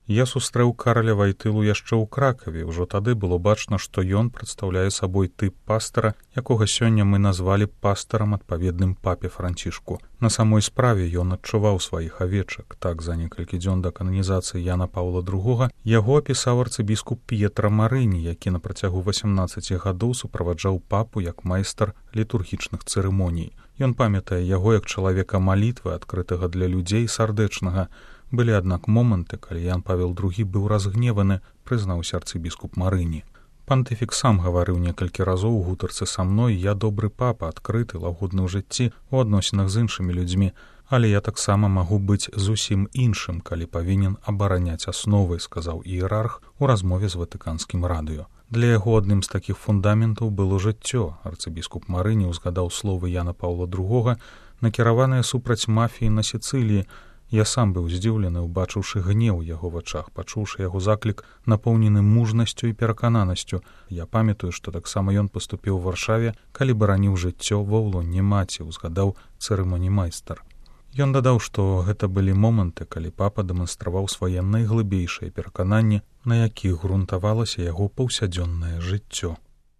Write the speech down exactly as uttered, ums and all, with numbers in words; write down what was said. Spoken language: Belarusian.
Я сустрэў Караля Вайтылу яшчэ ў Кракаве. Ужо тады было бачна, што ён прадстаўляе сабой тып пастара, якога сёння мы назвалі пастарам адпаведным папе Францішку. На самой справе ён адчуваў сваіх авечак. Так, за некалькі дзён да кананізацыі Яна Паўла другога яго апісаў арцыбіскуп П'етра Марыні, які на працягу васямнаццаці гадоў суправаджаў папу як майстар літургічных цырымоній. Ён памятае яго як чалавека малітвы, адкрытага для людзей, сардэчнага. Былі, аднак, моманты, калі Ян Павел другі быў разгневаны, прызнаўся арцыбіскуп Марыні. Пантыфік сам гаварыў некалькі разоў у гутарцы са мной: я добры папа, адкрыты, лагодны ў жыцці, у адносінах з іншымі людзьмі, але я таксама магу быць зусім іншым, калі павінен абараняць асновы, сказаў іерарх у размове з ватыканскім радыё. Для яго адным з такіх фундаментаў было жыццё. Арцыбіскуп Марыні ўзгадаў словы Яна Паўла другога, накіраваныя супраць мафіі на Сіцыліі. Я сам быў здзіўлены, убачыўшы гнеў у яго вачах, пачуўшы яго заклік, напоўнены мужнасцю і перакананасцю. Я памятаю, што таксама ён паступіў у Варшаве, калі бараніў жыццё ва ўлонні маці, узгадаў цырымонімайстар. Ён дадаў, што гэта былі моманты, калі папа дэманстраваў свае найглыбейшыя перакананні, на якіх грунтавалася яго паўсядзённае жыццё.